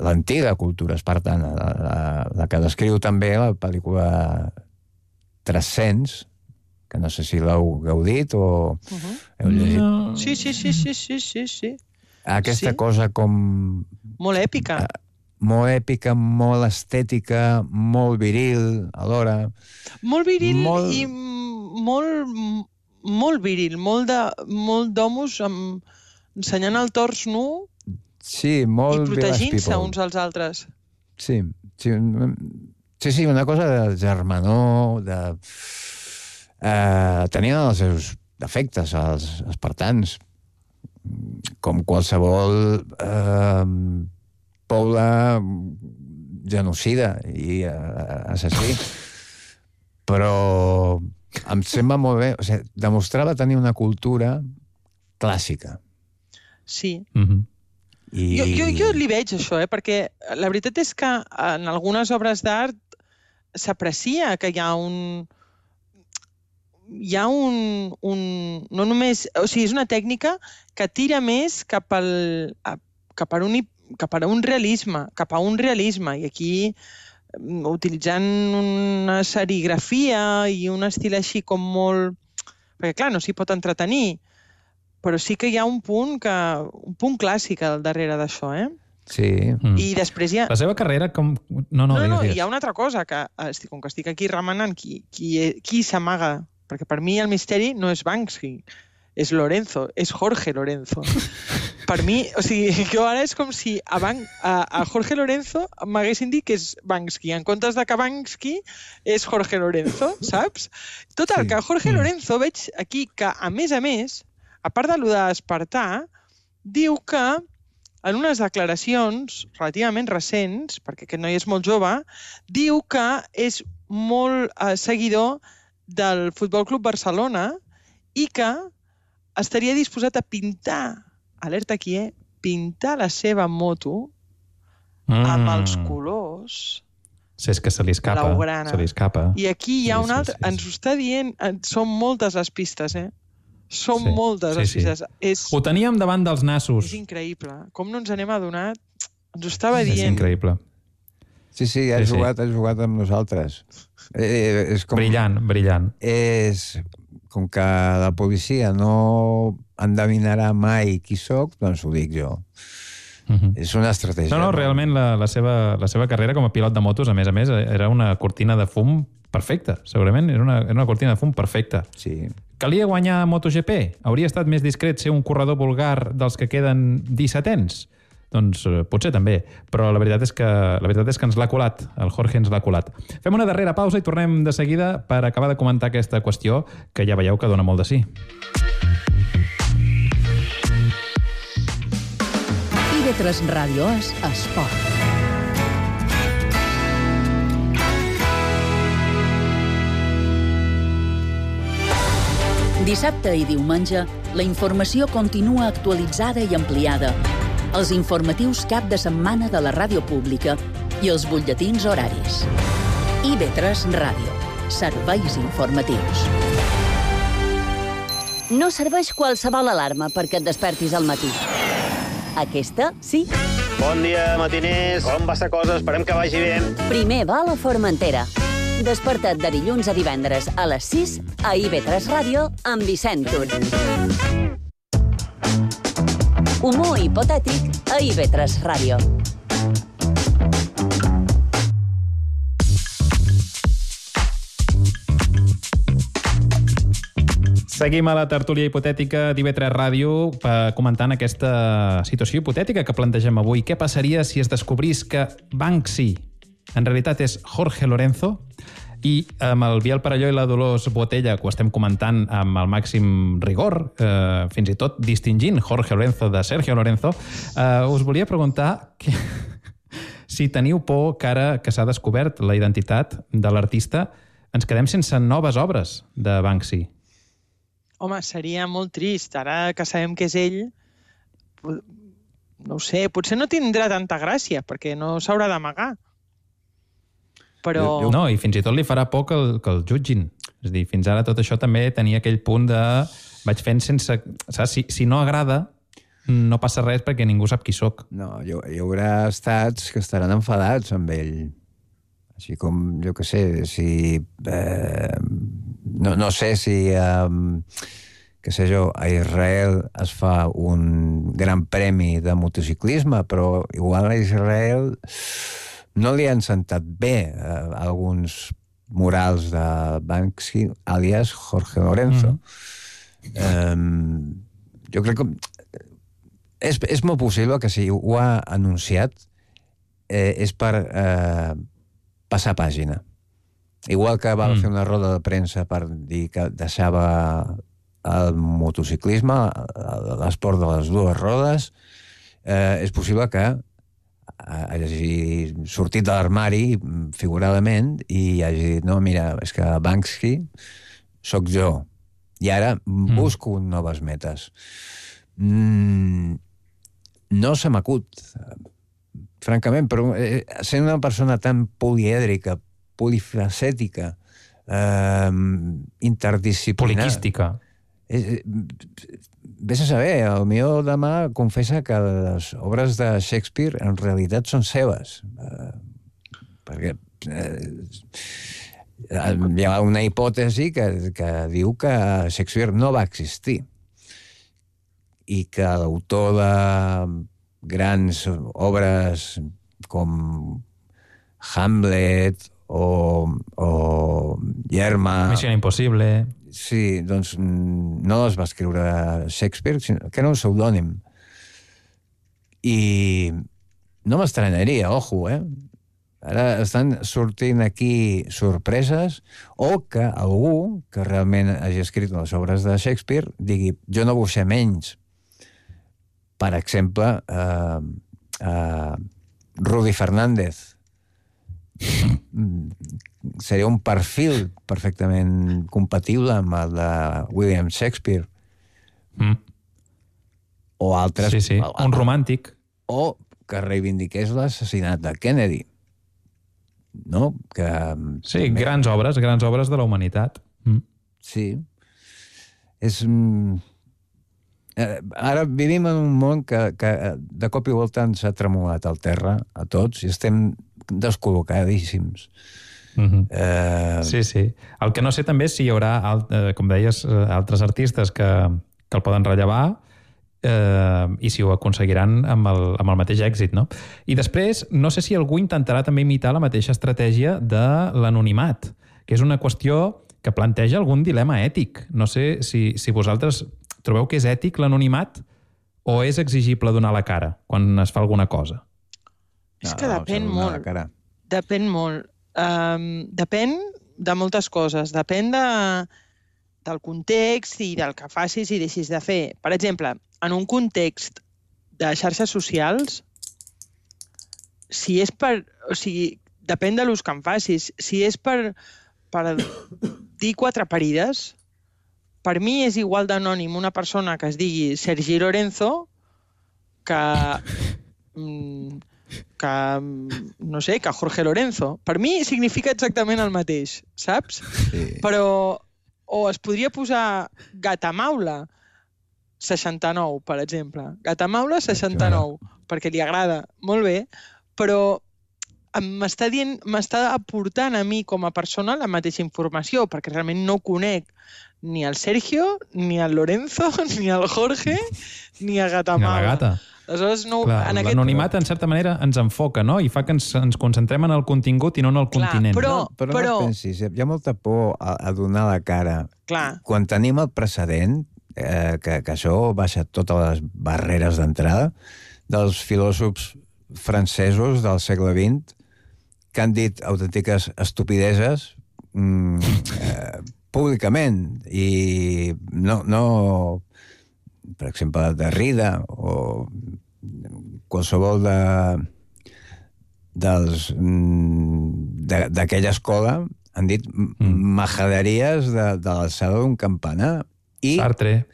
S13: L'antiga cultura espartana, la que descriu també la pel·lícula 300, que no sé si l'heu gaudit o heu llegit.
S14: Sí.
S13: Aquesta cosa com...
S14: Molt èpica.
S13: Molt èpica, molt estètica, molt viril, alhora.
S14: Molt viril i molt viril, molt d'homes ensenyant el tors nu.
S13: Sí, molt
S14: i protegint-se uns als altres.
S13: Sí, una cosa de germanor, tenien els seus defectes, els espartans, com qualsevol poble genocida i assassí. Però em sembla molt bé, o sigui, demostrava tenir una cultura clàssica.
S14: Sí. Jo li veig això, perquè la veritat és que en algunes obres d'art s'aprecia que hi ha no només... O sigui, és una tècnica que tira més cap a un realisme, i aquí utilitzant una serigrafia i un estil així com molt... Perquè, clar, no s'hi pot entretenir, però sí que hi ha un punt clàssic al darrere d'això,
S13: Sí.
S14: I després hi ha...
S4: La seva carrera com... No,
S14: hi ha una altra cosa, que com que estic aquí remenant qui s'amaga, perquè per mi el misteri no és Banksy, és Lorenzo, és Jorge Lorenzo. Per mi, o sigui, jo ara és com si a Jorge Lorenzo m'haguessin dit que és Banksy, en comptes de que Banksy és Jorge Lorenzo, saps? Total, que Jorge Lorenzo veig aquí que, a més, a part de lo d'Espartà, diu que en unes declaracions relativament recents, perquè aquest noi és molt jove, diu que és molt seguidor del Futbol Club Barcelona i que estaria disposat a pintar, alerta aquí, pintar la seva moto amb els colors
S4: és que se li escapa.
S14: I aquí hi ha un altre, ens ho està dient, són moltes les pistes, Són moltes les pistes.
S4: Ho teníem davant dels nassos.
S14: És increïble. Com no ens n'hem adonat, ens ho estava dient.
S4: És increïble.
S13: Sí, ha jugat amb nosaltres.
S4: Brillant.
S13: És com que la policia no endevinarà mai qui sóc, doncs ho dic jo. És una estratègia.
S4: No, realment la seva carrera com a pilot de motos, a més, era una cortina de fum perfecta, segurament. Era una cortina de fum perfecta.
S13: Sí.
S4: Calia guanyar MotoGP? Hauria estat més discret ser un corredor vulgar dels que queden 17ens? Doncs potser també, però la veritat és que ens l'ha colat, el Jorge ens l'ha colat. Fem una darrera pausa i tornem de seguida per acabar de comentar aquesta qüestió que ja veieu que dona molt de sí.
S2: IB3 Ràdio és esport. Dissabte i diumenge, la informació continua actualitzada i ampliada. Els informatius cap de setmana de la ràdio pública i els butlletins horaris. IB3 Ràdio. Serveis informatius.
S3: No serveix qualsevol alarma perquè et despertis al matí. Aquesta, sí.
S18: Bon dia, matiners. Com va la cosa? Esperem que vagi bé.
S3: Primer va a la Formentera. Desperta't de dilluns a divendres a les 6 a IB3 Ràdio amb Vicent Tur. Humor hipotètic a IB3 Ràdio.
S4: Seguim a la tertúlia hipotètica d'IB3 Ràdio comentant aquesta situació hipotètica que plantegem avui. Què passaria si es descobrís que Banksy en realitat és Jorge Lorenzo i amb el Biel Parelló i la Dolors Botella, que ho estem comentant amb el màxim rigor, fins i tot distingint Jorge Lorenzo de Sergio Lorenzo, us volia preguntar si teniu por que ara que s'ha descobert la identitat de l'artista ens quedem sense noves obres de Banksy.
S14: Home, seria molt trist. Ara que sabem que és ell, no ho sé, potser no tindrà tanta gràcia, perquè no s'haurà d'amagar. Però...
S4: No, i fins i tot li farà por que el jutgin. És a dir, fins ara tot això també tenia aquell punt de... Vaig fent sense... Saps? Si no agrada, no passa res perquè ningú sap qui sóc.
S13: No, hi haurà estats que estaran enfadats amb ell. Així com, jo què sé, si... No sé si... què sé jo, a Israel es fa un gran premi de motociclisme, però igual a Israel no li han sentat bé alguns murals de Banksy, alias Jorge Lorenzo. Jo crec que és molt possible que si ho ha anunciat és per passar pàgina. Igual que va fer una roda de premsa per dir que deixava el motociclisme, l'esport de les dues rodes, és possible que hagi sortit de l'armari figuradament i hagi dit, no, mira, és que Banksy sóc jo i ara busco noves metes. No se m'acut, francament, però sent una persona tan polièdrica, polifacètica, interdisciplinària...
S4: Poliquística.
S13: Ves a saber, potser demà confessa que les obres de Shakespeare en realitat són seves. Perquè hi ha una hipòtesi que diu que Shakespeare no va existir i que l'autor de grans obres com Hamlet o Yerma...
S4: Missió Impossible...
S13: Sí, doncs no les va escriure Shakespeare, sinó que era un pseudònim. I no m'estranyaria, ojo, Ara estan sortint aquí sorpreses o que algú que realment hagi escrit les obres de Shakespeare digui, jo no vull ser menys. Per exemple, Rudy Fernández. Seria un perfil perfectament compatible amb el de William Shakespeare. O altres...
S4: Sí, un romàntic.
S13: O que reivindiqués l'assassinat de Kennedy. No?
S4: Sí, grans obres de la humanitat.
S13: Sí. Ara vivim en un món que de cop i volta ens ha tremolat al terra a tots i estem descol·locadíssims.
S4: Sí. El que no sé també és si hi haurà, com deies, altres artistes que el poden rellevar i si ho aconseguiran amb el mateix èxit, no? I després, no sé si algú intentarà també imitar la mateixa estratègia de l'anonimat, que és una qüestió que planteja algun dilema ètic. No sé si vosaltres trobeu que és ètic l'anonimat o és exigible donar la cara quan es fa alguna cosa?
S14: És que depèn molt. Depèn molt. Depèn de moltes coses. Depèn del context i del que facis i deixis de fer. Per exemple, en un context de xarxes socials, si és per... O sigui, depèn de l'ús que en facis. Si és per dir 4 parides, per mi és igual d'anònim una persona que es digui Sergi Lorenzo que no sé, que Jorge Lorenzo. Per mi significa exactament el mateix, saps? Sí. Però o es podria posar Gatamaula 69, per exemple. Gatamaula 69, perquè li agrada molt bé, però m'està aportant a mi com a persona la mateixa informació, perquè realment no conec ni el Sergio, ni el Lorenzo, ni el Jorge, ni a Gatamaula.
S4: Ni a la gata.
S14: Aleshores, no,
S4: l'anonimat, en certa manera, ens enfoca, no? I fa que ens concentrem en el contingut i no en el continent.
S13: Però no et pensis, hi ha molta por a donar la cara.
S14: Clar.
S13: Quan tenim el precedent, que això baixa totes les barreres d'entrada, dels filòsofs francesos del segle XX, que han dit autèntiques estupideses públicament i no per exemple, Derrida o qualsevol d'aquella escola han dit majaderies de l'alçada d'un campanar.
S4: Sartre.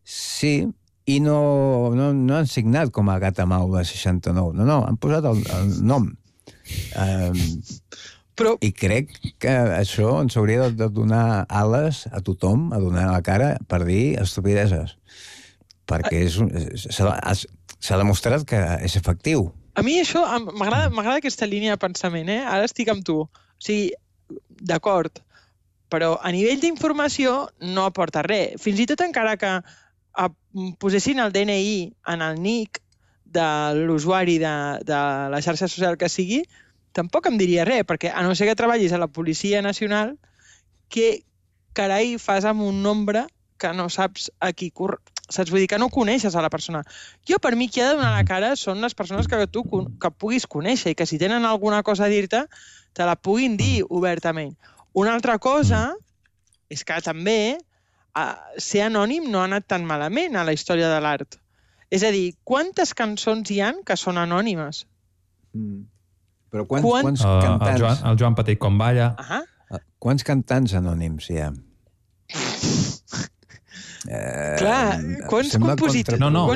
S4: Sí,
S13: i no han signat com a Gatamaula 69. No, han posat el nom. I crec que això ens hauria de donar ales a tothom, a donar la cara per dir estupideses. Perquè s'ha demostrat que és efectiu.
S14: A mi això m'agrada aquesta línia de pensament, eh? Ara estic amb tu. O sigui, d'acord, però a nivell d'informació no aporta res. Fins i tot encara que posessin el DNI en el nick de l'usuari de la xarxa social que sigui, tampoc em diria res, perquè a no ser que treballis a la Policia Nacional, què carai fas amb un nombre que no saps a qui saps? Vull dir que no coneixes a la persona. Jo, per mi, qui ha de donar la cara són les persones que tu que puguis conèixer i que si tenen alguna cosa a dir-te, te la puguin dir obertament. Una altra cosa és que també ser anònim no ha anat tan malament a la història de l'art. És a dir, quantes cançons hi ha que són anònimes?
S13: Però quants cantants...
S4: El Joan Petit Comballa.
S13: Quants cantants anònims hi ha?
S14: Clar, quants compositors?
S4: No,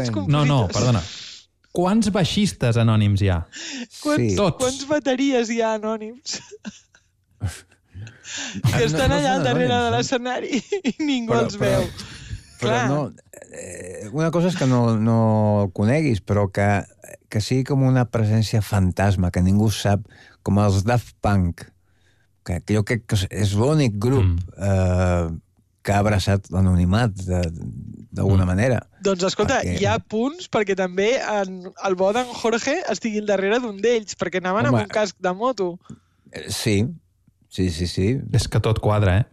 S4: perdona. Quants baixistes anònims hi ha?
S14: Quants bateries hi ha anònims? Que estan allà al darrere de l'escenari i ningú els veu.
S13: Però una cosa és que no coneguis, però que sigui com una presència fantasma, que ningú sap, com els Daft Punk, que jo crec que és l'únic grup que ha abraçat l'anonimat d'alguna manera.
S14: Doncs escolta, hi ha punts perquè també el bo d'en Jorge estigui al darrere d'un d'ells, perquè anaven amb un casc de moto.
S13: Sí.
S4: És que tot quadra,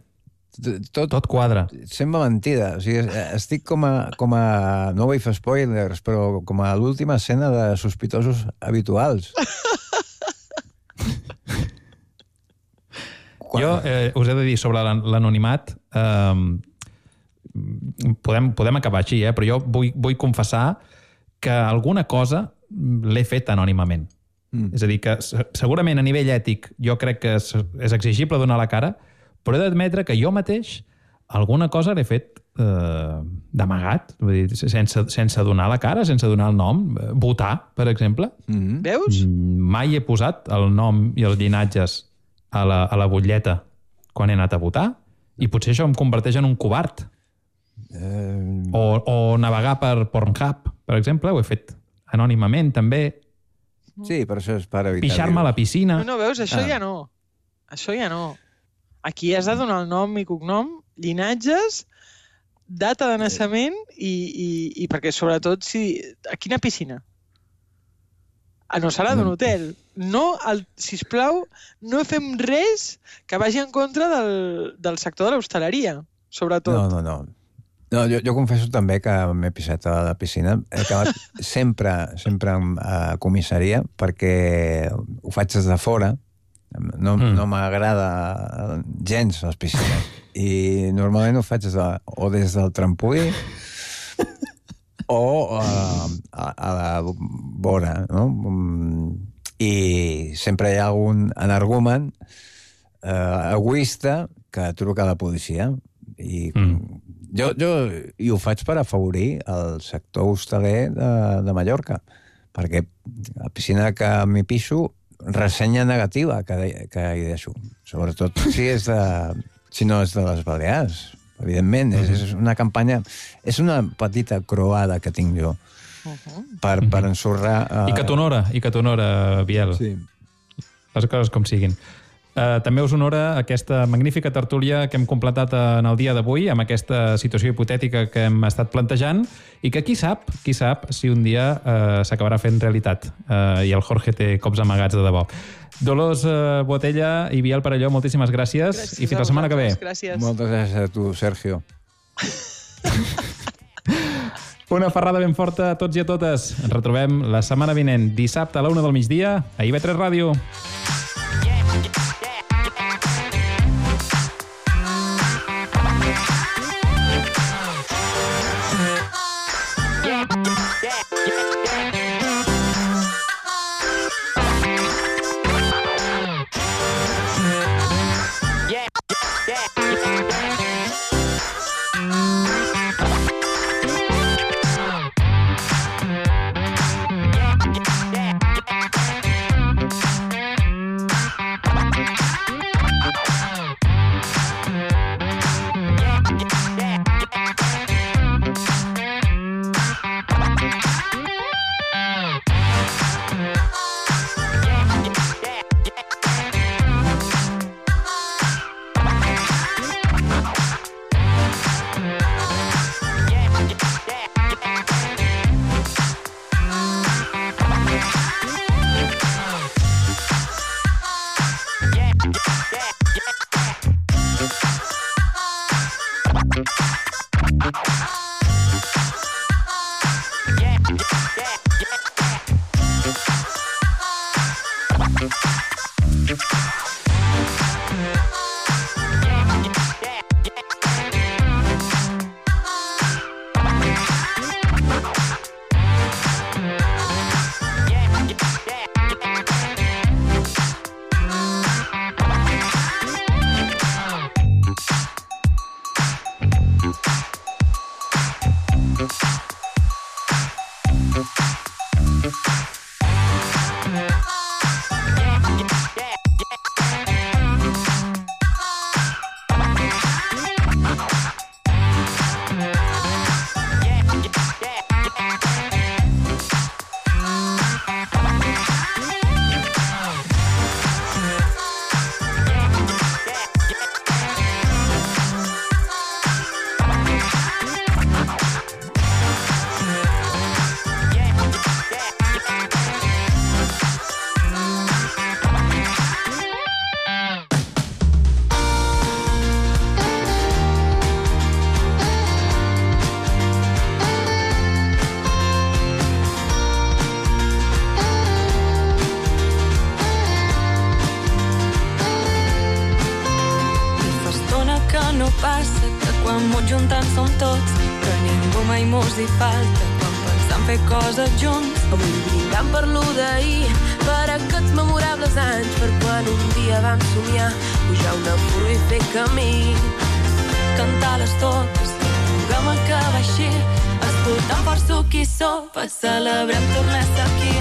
S4: Tot quadra.
S13: Sembla mentida. O sigui, estic com a... No vull fer spoilers, però com a l'última escena de Sospitosos Habituals.
S4: Jo us he de dir sobre l'anonimat, podem acabar així, però jo vull confessar que alguna cosa l'he fet anònimament. És a dir, que segurament a nivell ètic jo crec que és exigible donar la cara, però he d'admetre que jo mateix alguna cosa l'he fet d'amagat, sense donar la cara, sense donar el nom. Votar, per exemple.
S14: Veus?
S4: Mai he posat el nom i els llinatges a la butlleta quan he anat a votar, i potser això em converteix en un covard. O navegar per Pornhub, per exemple, ho he fet anònimament, també.
S13: Sí, però això és per evitar...
S4: Pixar-me a la piscina.
S14: No, veus, això ja no. Això ja no. Aquí has de donar el nom i cognom, llinatges, data de naixement i perquè, sobretot, a quina piscina? No serà d'un hotel. No, sisplau, no fem res que vagi en contra del sector de l'hostaleria, sobretot.
S13: No, jo confesso també que m'he pisat a la piscina. He acabat sempre a comissaria perquè ho faig des de fora. No m'agrada gens les piscines. I normalment ho faig des del trampolí o a la vora, no? I sempre hi ha algun energumen egoista que truca a la policia. I jo ho faig per afavorir el sector hostaler de Mallorca, perquè la piscina que m'hi piso, ressenya negativa que hi deixo. Sobretot si no és de les Balears. Evidentment, és una campanya, és una petita croada que tinc jo per ensorrar...
S4: I que t'honora, Biel.
S13: Sí.
S4: Les coses com siguin. També us honora aquesta magnífica tertúlia que hem completat en el dia d'avui, amb aquesta situació hipotètica que hem estat plantejant, i que qui sap si un dia s'acabarà fent realitat. I el Jorge té cops amagats de debò. Dolors Botella i Biel Perelló, moltíssimes gràcies i fins la setmana que ve.
S14: Gràcies.
S13: Moltes gràcies a tu, Sergio.
S4: Una ferrada ben forta a tots i a totes. Ens retrobem la setmana vinent, dissabte a la 1 del migdia, a IB3 Ràdio.
S19: passa que quan mos juntant som tots, que ningú mai mos hi falta quan pensam fer coses junts. Avui brindant per lo d'ahir, per aquests memorables anys, per quan un dia vam somiar pujar una furga i fer camí, cantar les totes, puguem acabar així, escoltant força qui sopa, celebrem tornar a ser aquí.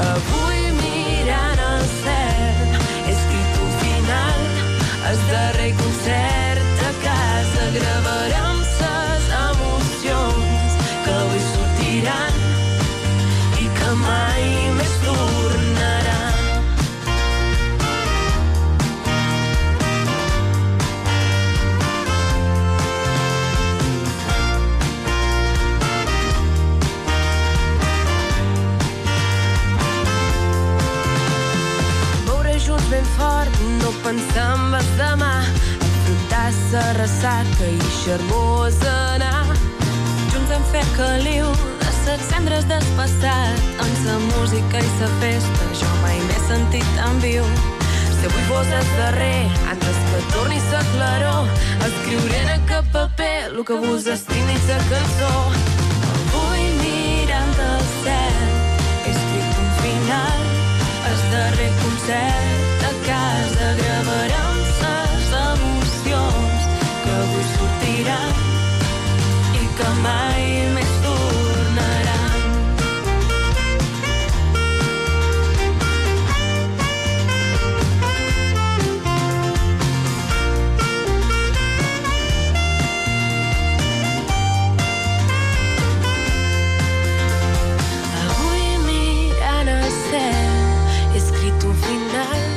S19: Avui mirant el cel, he escrit un final, el darrer concert a casa, gravarem ses emocions que avui sortiran i que mai més tornaran. de ressaca i xarbós anar. Junts hem fet caliu de ses cendres del passat. En sa música i sa festa jo mai m'he sentit tan viu. Si avui fos el darrer, antes que torni sa claror, escriuré en aquest paper lo que vos estimi sa cançó. Avui mirant el cel he escrit un final, el darrer concert a casa. Gravarem ses emocions que avui sortiran i que mai més tornaran. Avui mirant el cel he escrit un final,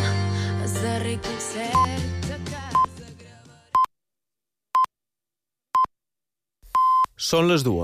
S19: el darrer concert a casa.
S20: Són les 2.